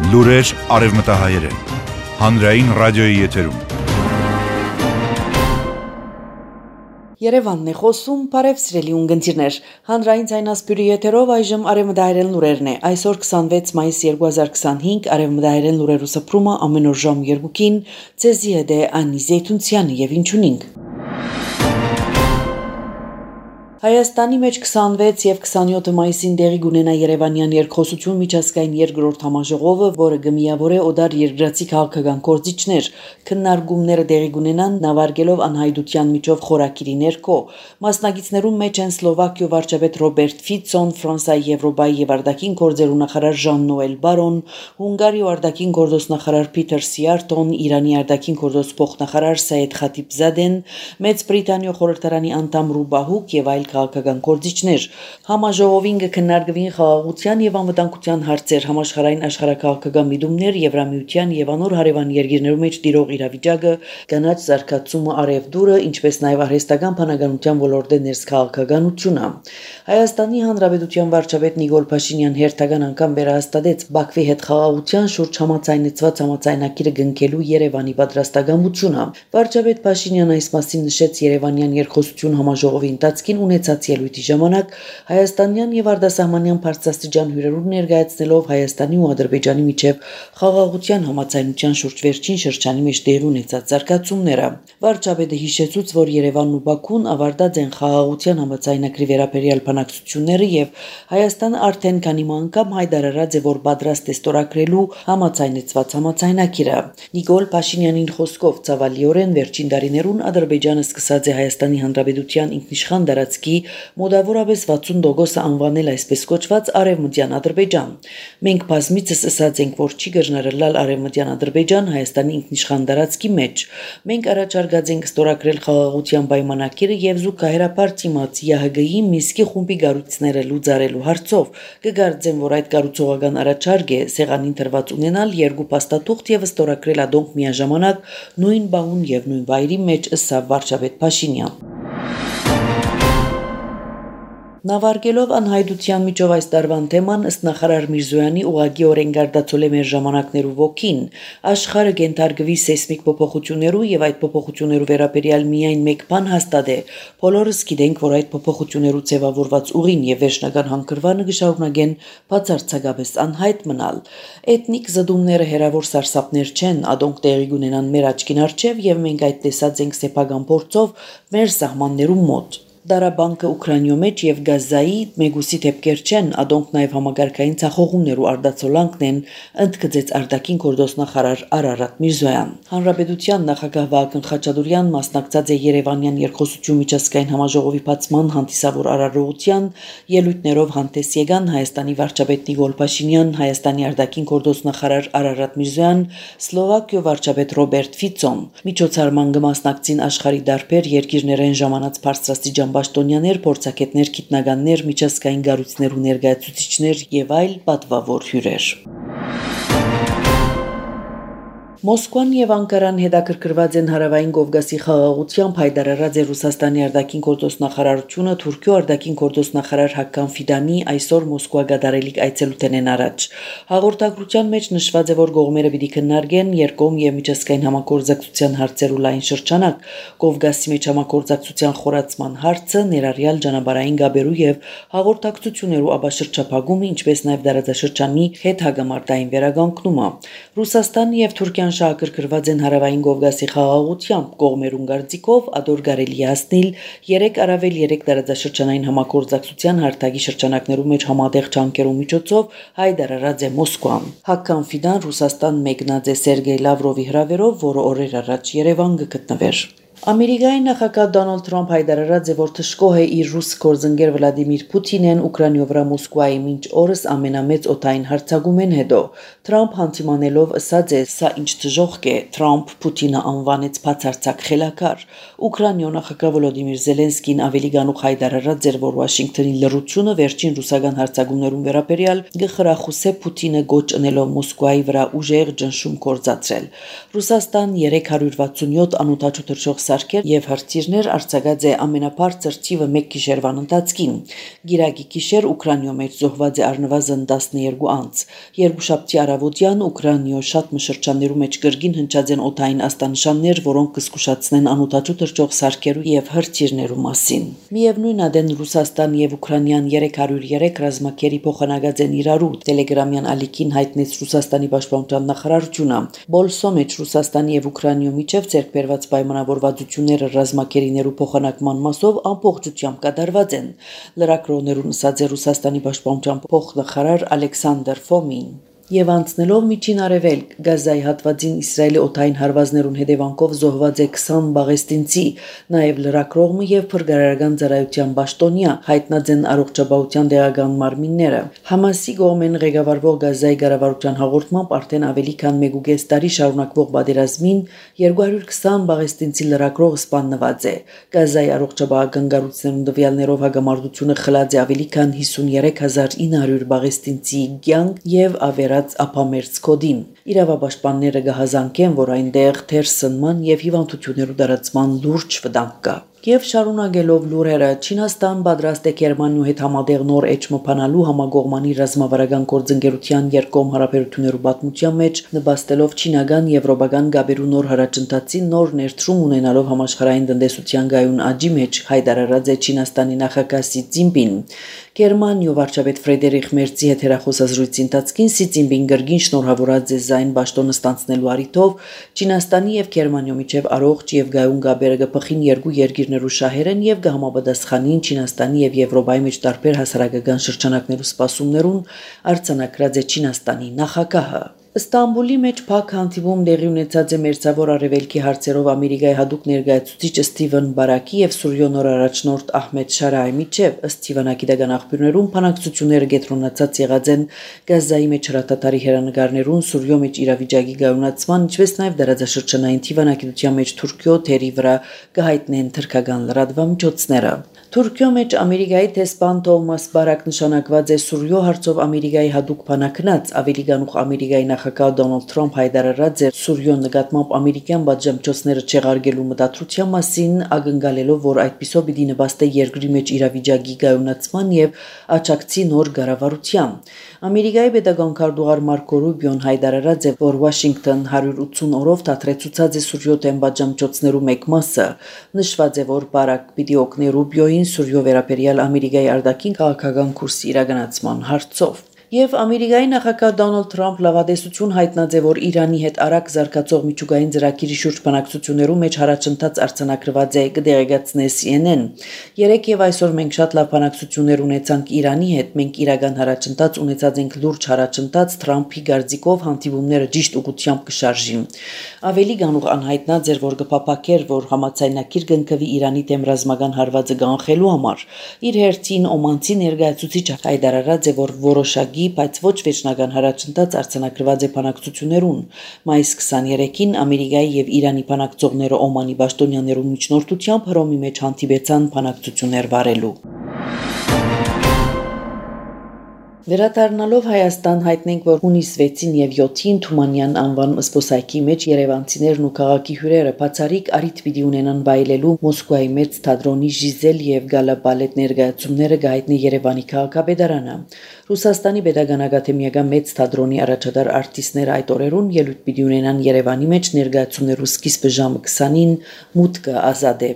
Լուրեր արևմտահայերեն, հանրային ռադիոյի եթերում։ Երևանն է խոսում, բարև սիրելի ունգընտիրներ, հանրային ձայնասպյուրի եթերով այժմ արևմտահայերեն լուրերն է, այսօր 26 մայիս 2025, արևմտահայերեն լուրերու սփռումը ամեն օր ժամ 2-ին, ձեզի հետ է Անի Զեյթունցյանը եւ ինչ ունենք։ Հայաստանի մեջ 26 եւ 27 մայիսին տեղի կունենա Երևանյան երկխոսություն միջազգային երկրորդ համաժողովը, որը կմիավորե օդար երկրացի քաղաքական գործիչներ, քննարկումները տեղի կունենան նավարկելով անհայտության միջով խորակիրի ներքո։ Մասնակիցներում մեջ են Սլովակիո վարչապետ Ռոբերտ Ֆիցոն, Ֆրանսիայի Եվրոպայի եւ արտաքին գործերու նախարար Ժան-Նոել Բարոն, Հունգարիո արտաքին գործոստնախարար Պիտեր Սիարտոն, Իրանի արտաքին գործոս փոխնախարար Սայեդ Խաթիբզադեն, Մեծ Բրիտանիո խորհրդարանի անդամ Ռուբահուկ եւ այլ քաղաքական գործիչներ։ Համաժողովին կքննարկվին խաղաղության եւ անվտանգության հարցեր, համաշխարհային աշխարհակաղակական միտումներ, Եվրամիության եւ անոր հարևան երկրներու մեջ տիրող իրավիճակը, կանաչ զարգացումը, արևդուրը, ինչպես նաեւ արհեստական բանականության ոլորտի ներս քաղաքականությունը։ Հայաստանի Հանրապետության վարչապետ Նիկոլ Փաշինյան հերթական անգամ վերահաստատեց Բաքվի հետ խաղաղության շուրջ համաձայնեցված համաձայնագիրը կնքելու Երևանի պատրաստակամությունը։ Վարչապետ Փաշինյանը այս մասին նշեց Երևանյան երկխոսություն համաժողովի ընթացքին ունեցած ելույթի ժամանակ հայաստանյան եւ արտասահմանյան բարձրաստիճան հյուրերու ներկայացնելով Հայաստանի ու Ադրբեջանի միջև խաղաղության համաձայնության շուրջ վերջին շրջանի մեջ տեղի ունեցած զարգացումները։ Վարչապետը հիշեցուց, որ Երևանն ու Բաքուն ավարտած են խաղաղության համաձայնագրի վերաբերյալ բանակցությունները եւ Հայաստանը արդեն քանի անգամ հայտարարած է, որ պատրաստ է ստորագրելու համաձայնեցված համաձայնագիրը։ Նիկոլ Փաշինյանին խոսքով ցավալիորեն վերջին տարիներուն Ադրբեջանը սկսած է Հայաստանի Հանրապետության ինքնիշխան տարածքի մոտավորապես 60% անվանել այսպես կոչված Արևմտյան Ադրբեջան։ Մենք բազմիցս ասած ենք, որ չի գժնարելալ Արևմտյան Ադրբեջան Հայաստանի ինքնիշխան տարածքի մեջ։ Մենք առաջարկած ենք ստորագրել խաղաղության պայմանագիրը եւ զուգահեռաբար դիմաց ՀՀԳ-ի Մինսկի խումբի գառույցները լուծարելու հարցով։ Կգարձեմ, որ այդ կառուցողական առաջարկ է սեղանին դրված ունենալ երկու փաստաթուղթ եւ ստորագրել ադոնք միաժամանակ նույն բահուն եւ նույն վայրի մեջ, ըստ վարչապետ Փաշինյան։ Նավարկելով անհայտության միջով այս տարվան թեման ըստ նախարար Միրզոյանի ուղղակիորեն գարդացել է մեր ժամանակներու ոգին, աշխարհը կենթարկվի սեյսմիկ փոփոխություններու եւ այդ փոփոխություններու վերաբերյալ միայն մեկ բան հաստատ է։ Բոլորս գիտենք, որ այդ փոփոխություններու ձևավորված ուղին եւ վերջնական հանգրվանը կշարունակեն բացարձակապես անհայտ մնալ։ Էթնիկ զդումները հերավոր սարսափներ չեն, ադոնք տեղի կունենան մեր աչքին առջև եւ մենք այդ տեսած ենք սեփական փորձով մեր սահմաններու մոտ։ Դարաբանկը Ուկրաինայո մեջ եւ Գազայի մեգուսի դեպքեր չեն, ադոնք նաեւ համագարկային ցախողումներու արդացոլանքն են, ընդգծեց արտաքին գործոստնախարար Արարատ Միրզոյան։ Հանրապետության նախագահ Վահագն Խաչատուրյան մասնակցած է Երևանյան երկխոսություն միջազգային համաժողովի բացման հանդիսավոր արարողության, ելույթներով հանդես եկան Հայաստանի վարչապետ Նիկոլ Փաշինյան, Հայաստանի արտաքին գործոստնախարար Արարատ Միրզոյան, Սլովակիո վարչապետ Ռոբերտ Ֆիցոն։ Միջոցառման կմասնակցին աշխարհի դարբեր երկիրներեն ժամանած բարձրաստիճան պաշտոնյաներ, փորձագետներ, գիտնականներ, միջազգային կառույցներու ներկայացուցիչներ եւ այլ պատվավոր հյուրեր։ Մոսկվան եւ Անկարան հետաքրքրված են հարավային Կովկասի խաղաղությամբ, հայտարարած է Ռուսաստանի արտաքին գործոստնախարարությունը Թուրքիո արտաքին գործոստնախարար Հական Ֆիդանի այսօր Մոսկվա գդարելիք այցելութենեն առաջ։ Հաղորդագրության մեջ նշված է, որ կողմերը պիտի քննարկեն երկկողմ եւ միջազգային համագործակցության հարցերու լայն շրջանակ, Կովկասի մեջ համագործակցության խորացման հարցը, ներառյալ ճանապարհային գաբերու եւ հաղորդակցություններու աբաշրջափակումը, ինչպես նաեւ դարաձաշրջանի հետ հագամարտային վերականգնումը։ Ռուսաստանը եւ Թուրքիան շահագրգռված են հարավային Կովկասի խաղաղությամբ, կողմերուն կարծիքով ադոր կարելի է հասնել 3+3 տարածաշրջանային համագործակցության հարթակի շրջանակներու մեջ համատեղ ջանքերու միջոցով, հայտարարած է Մոսկվան։ Հական Ֆիդան Ռուսաստան մեկնած է Սերգեյ Լավրովի հրավերով, որը օրեր առաջ Երևան կգտնվեր։ Ամերիկայի նախագահ Դոնալդ Թրամփ հայտարարած է, որ թշկող է իր ռուս գործընկեր Վլադիմիր Պուտինեն Ուկրաինայո վրա Մոսկվայի մինչ օրս ամենամեծ օդային հարձակումեն հետո։ Թրամփ հանդիմանելով ասած է, սա ինչ դժոխք է, Թրամփ Պուտինը անվանեց բացարձակ խելագար։ Ուկրաինայո նախագահ Վոլոդիմիր Զելենսկին ավելի գանուխ հայտարարած էր, որ Վաշինգտոնի լռությունը վերջին ռուսական հարձակումներուն վերաբերյալ գխրախուսե Պուտինը գոչ ընելով Մոսկվայի վրա ուժեղ ճնշում կործացրել։ Ռուսաստան 367 անօդաչու թռչող սարքեր եւ հրթիռներ արձակած է ամենաբարձր թիվը 1 գիշերվան ընթացքին։ Գիրակի գիշեր Ուկրաինայում մեջ զոհված է առնվազն 12 անձ։ Երկուշաբթի առավոտյան Ուկրաինայում շատ մշրջաններու մեջ կրկին հնչած են օդային աստանշաններ, որոնք կզգուշացնեն անօդաչու թռչող սարքերու եւ հրթիռներու մասին։ Միևնույն ադեն Ռուսաստան եւ Ուկրաինան 303 ռազմակերի փոխանակած են իրարու։ Տելեգրամյան ալիքին հայտնեց Ռուսաստանի պաշտպանության նախարարությունը։ Բոլսո մեջ Ռուսաստանի եւ Ուկրաինայի միջև ցերկբերված պայմանավորվածությունները ռազմակերիներու փոխանակման մասով ամբողջությամբ կատարված են։ Լրագրողներուն ասաց է Ռուսաստանի պաշտպանության փոխնախարար Ալեքսանդր Ֆոմին։ Եվ անցնելով միջին արևելք Գազայի հատվածին Իսրայելի օդային հարվածներուն հետևանքով զոհված է 20 բաղեստինցի, նաև լրագրողը եւ փրկարարական ծառայության պաշտոնյա հայտնած են առողջապահության դեղական մարմինները։ Համասի կողմեն ղեկավարվող Գազայի կառավարության հաղորդմամբ արդեն ավելի քան 1.5 տարի շարունակվող պատերազմին 220 բաղեստինցի լրագրող սպանված է։ Գազայի առողջապահական կառույցներուն տվյալներով հագամարտությունը խլած է ավելի քան 53900 բաղեստինցի կյանք եւ ավերած ափամերձ կոդին։ Իրավապաշտպանները կհազանգեն, որ այնտեղ թեր սնման եւ հիվանդություններու դարացման լուրջ վտանգ կա։ Եվ շարունակելով լուրերը, Չինաստան պատրաստ է Գերմանիայի հետ համատեղ նոր էջմփանալու համագողմանի ռազմավարական գործընկերության երկկողմ հարաբերություններու պատմության մեջ նպաստելով չինական եվրոպական գաբերու նոր հարաճընթացին նոր ներդրում ունենալով համաշխարհային տնտեսության գայուն աճի մեջ հայտարարած է Չինաստանի նախագահ Սի Ցզինպին։ Գերմանիայի վարչապետ Ֆրեդերիխ Մերցի հետ հեռախոսազրույցի ընթացքին Սի Ցզինպին գրգին շնորհավորած է զայն պաշտոնը ստանցնելու առիթով Չինաստանի եւ Գերմանիայի միջև առողջ եւ գայուն գաբերը կփխին երկու երկիրներու շահերեն եւ կհամապատասխանին Չինաստանի եւ Եվրոպայի մեջ տարբեր հասարակական շրջանակներու սպասումներուն արձանագրած է Չինաստանի նախագահը։ Ստամբուլի մեջ փակ հանդիպում տեղի ունեցած է Մերձավոր Արևելքի հարցերով Ամերիկայի հատուկ ներկայացուցիչ Սթիվեն Բարակի եւ Սուրիո նոր առաջնորդ Ահմեդ Շարայի միջև ըստ Թիվանագիտական աղբյուրներուն բանակցությունները կենտրոնացած եղած են Գազայի մեջ հրատատարի հերանեկարներուն Սուրիո մեջ իրավիճակի գայունացման, ինչպես նաեւ դարաձաշրջանային Թիվանագիտության մեջ Թուրքիո թերի վրա կհայտնեն թրքական լրատվամիջոցները։ Թուրքիո մեջ Ամերիկայի տեսփան Թոմաս Բարակ նշանակված է Սուրիո հարցով Ամերիկայի հատուկ բանակնած ավելի գանուխ Ամերիկայի նախագահ Դոնալդ Թրամփ հայտարարած է Սուրիո նկատմամբ ամերիկյան բաժամիջոցները չեղարկելու մտադրության մասին, ակնկալելով, որ այդպիսով պիտի նպաստի երկրի մեջ իրավիճակի գայունացման եւ աջակցի նոր կառավարության։ Ամերիկայի պետական քարտուղար Մարկո Ռուբիոն հայտարարած է, որ Վաշինգտոն 180 օրով դադրեցուցած է Սուրիո դեմ բաժամիջոցներու մեկ մասը։ Նշված է, որ Բարակ պիտի օգնի Ռուբիոին Սուրիո վերաբերյալ Ամերիկայի արտաքին քաղաքական կուրսի իրականացման հարցով։ Եվ Ամերիկայի նախագահ Դոնալդ Թրամփ լավատեսություն հայտնած է, որ Իրանի հետ արագ զարգացող միջուկային ծրագիրի շուրջ բանակցություններու մեջ հարաճընթաց արձանագրված է կդեղեկացնե CNN։ Երեկ եւ այսօր մենք շատ լավ բանակցություններ ունեցանք Իրանի հետ, մենք իրական հարաճընթաց ունեցած ենք լուրջ հարաճընթաց Թրամփի գարձիկով հանդիպումները ճիշտ ուղղությամբ կշարժին։ Ավելի գանուղ անհայտնած էր, որ կփապակեր, որ համաձայնագիր կնքվի Իրանի դեմ ռազմական հարվածը կանխելու համար։ Իր հերթին օմանցի ներկայացուցիչը հայտարարած է, որ որոշակի բայց ոչ վերջնական հարաճընթաց արձանագրված է բանակցություններուն։ Մայիս 23-ին Ամերիկայի եւ Իրանի բանակցողները Օմանի պաշտոնյաներու միջնորդությամբ Հռոմի մեջ հանդիպեցան բանակցություններ վարելու։ Վերադառնալով Հայաստան հայտնենք, որ հունիս 6-ին եւ 7-ին Թումանյան անվան զբոսայգի մեջ երևանցիներն ու քաղաքի հյուրերը բացառիկ առիթ պիտի ունենան վայելելու Մոսկվայի մեծ թատրոնի Ժիզել եւ Գալա բալետ ներկայացումները գայտնի Երևանի քաղաքապետարանը։ Ռուսաստանի Պետական ակադեմիական մեծ թատրոնի առաջատար արտիստները այդ օրերուն ելույթ պիտի ունենան Երևանի մեջ ներկայացումներու սկիզբը ժամը 20-ին մուտքը ազատ է։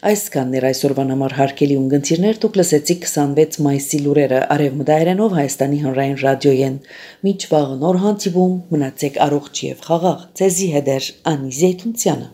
Այսքանն էր այսօրվան համար հարգելի ունգընտիրներ, դուք լսեցիք 26 մայիսի լուրերը արևմտայերենով Հայաստանի հանրային ռադիոյեն։ Մինչ վաղ նոր հանդիպում, մնացեք առողջ եւ խաղաղ։ Ձեզի հետ է Անի Զեյթունցյանը։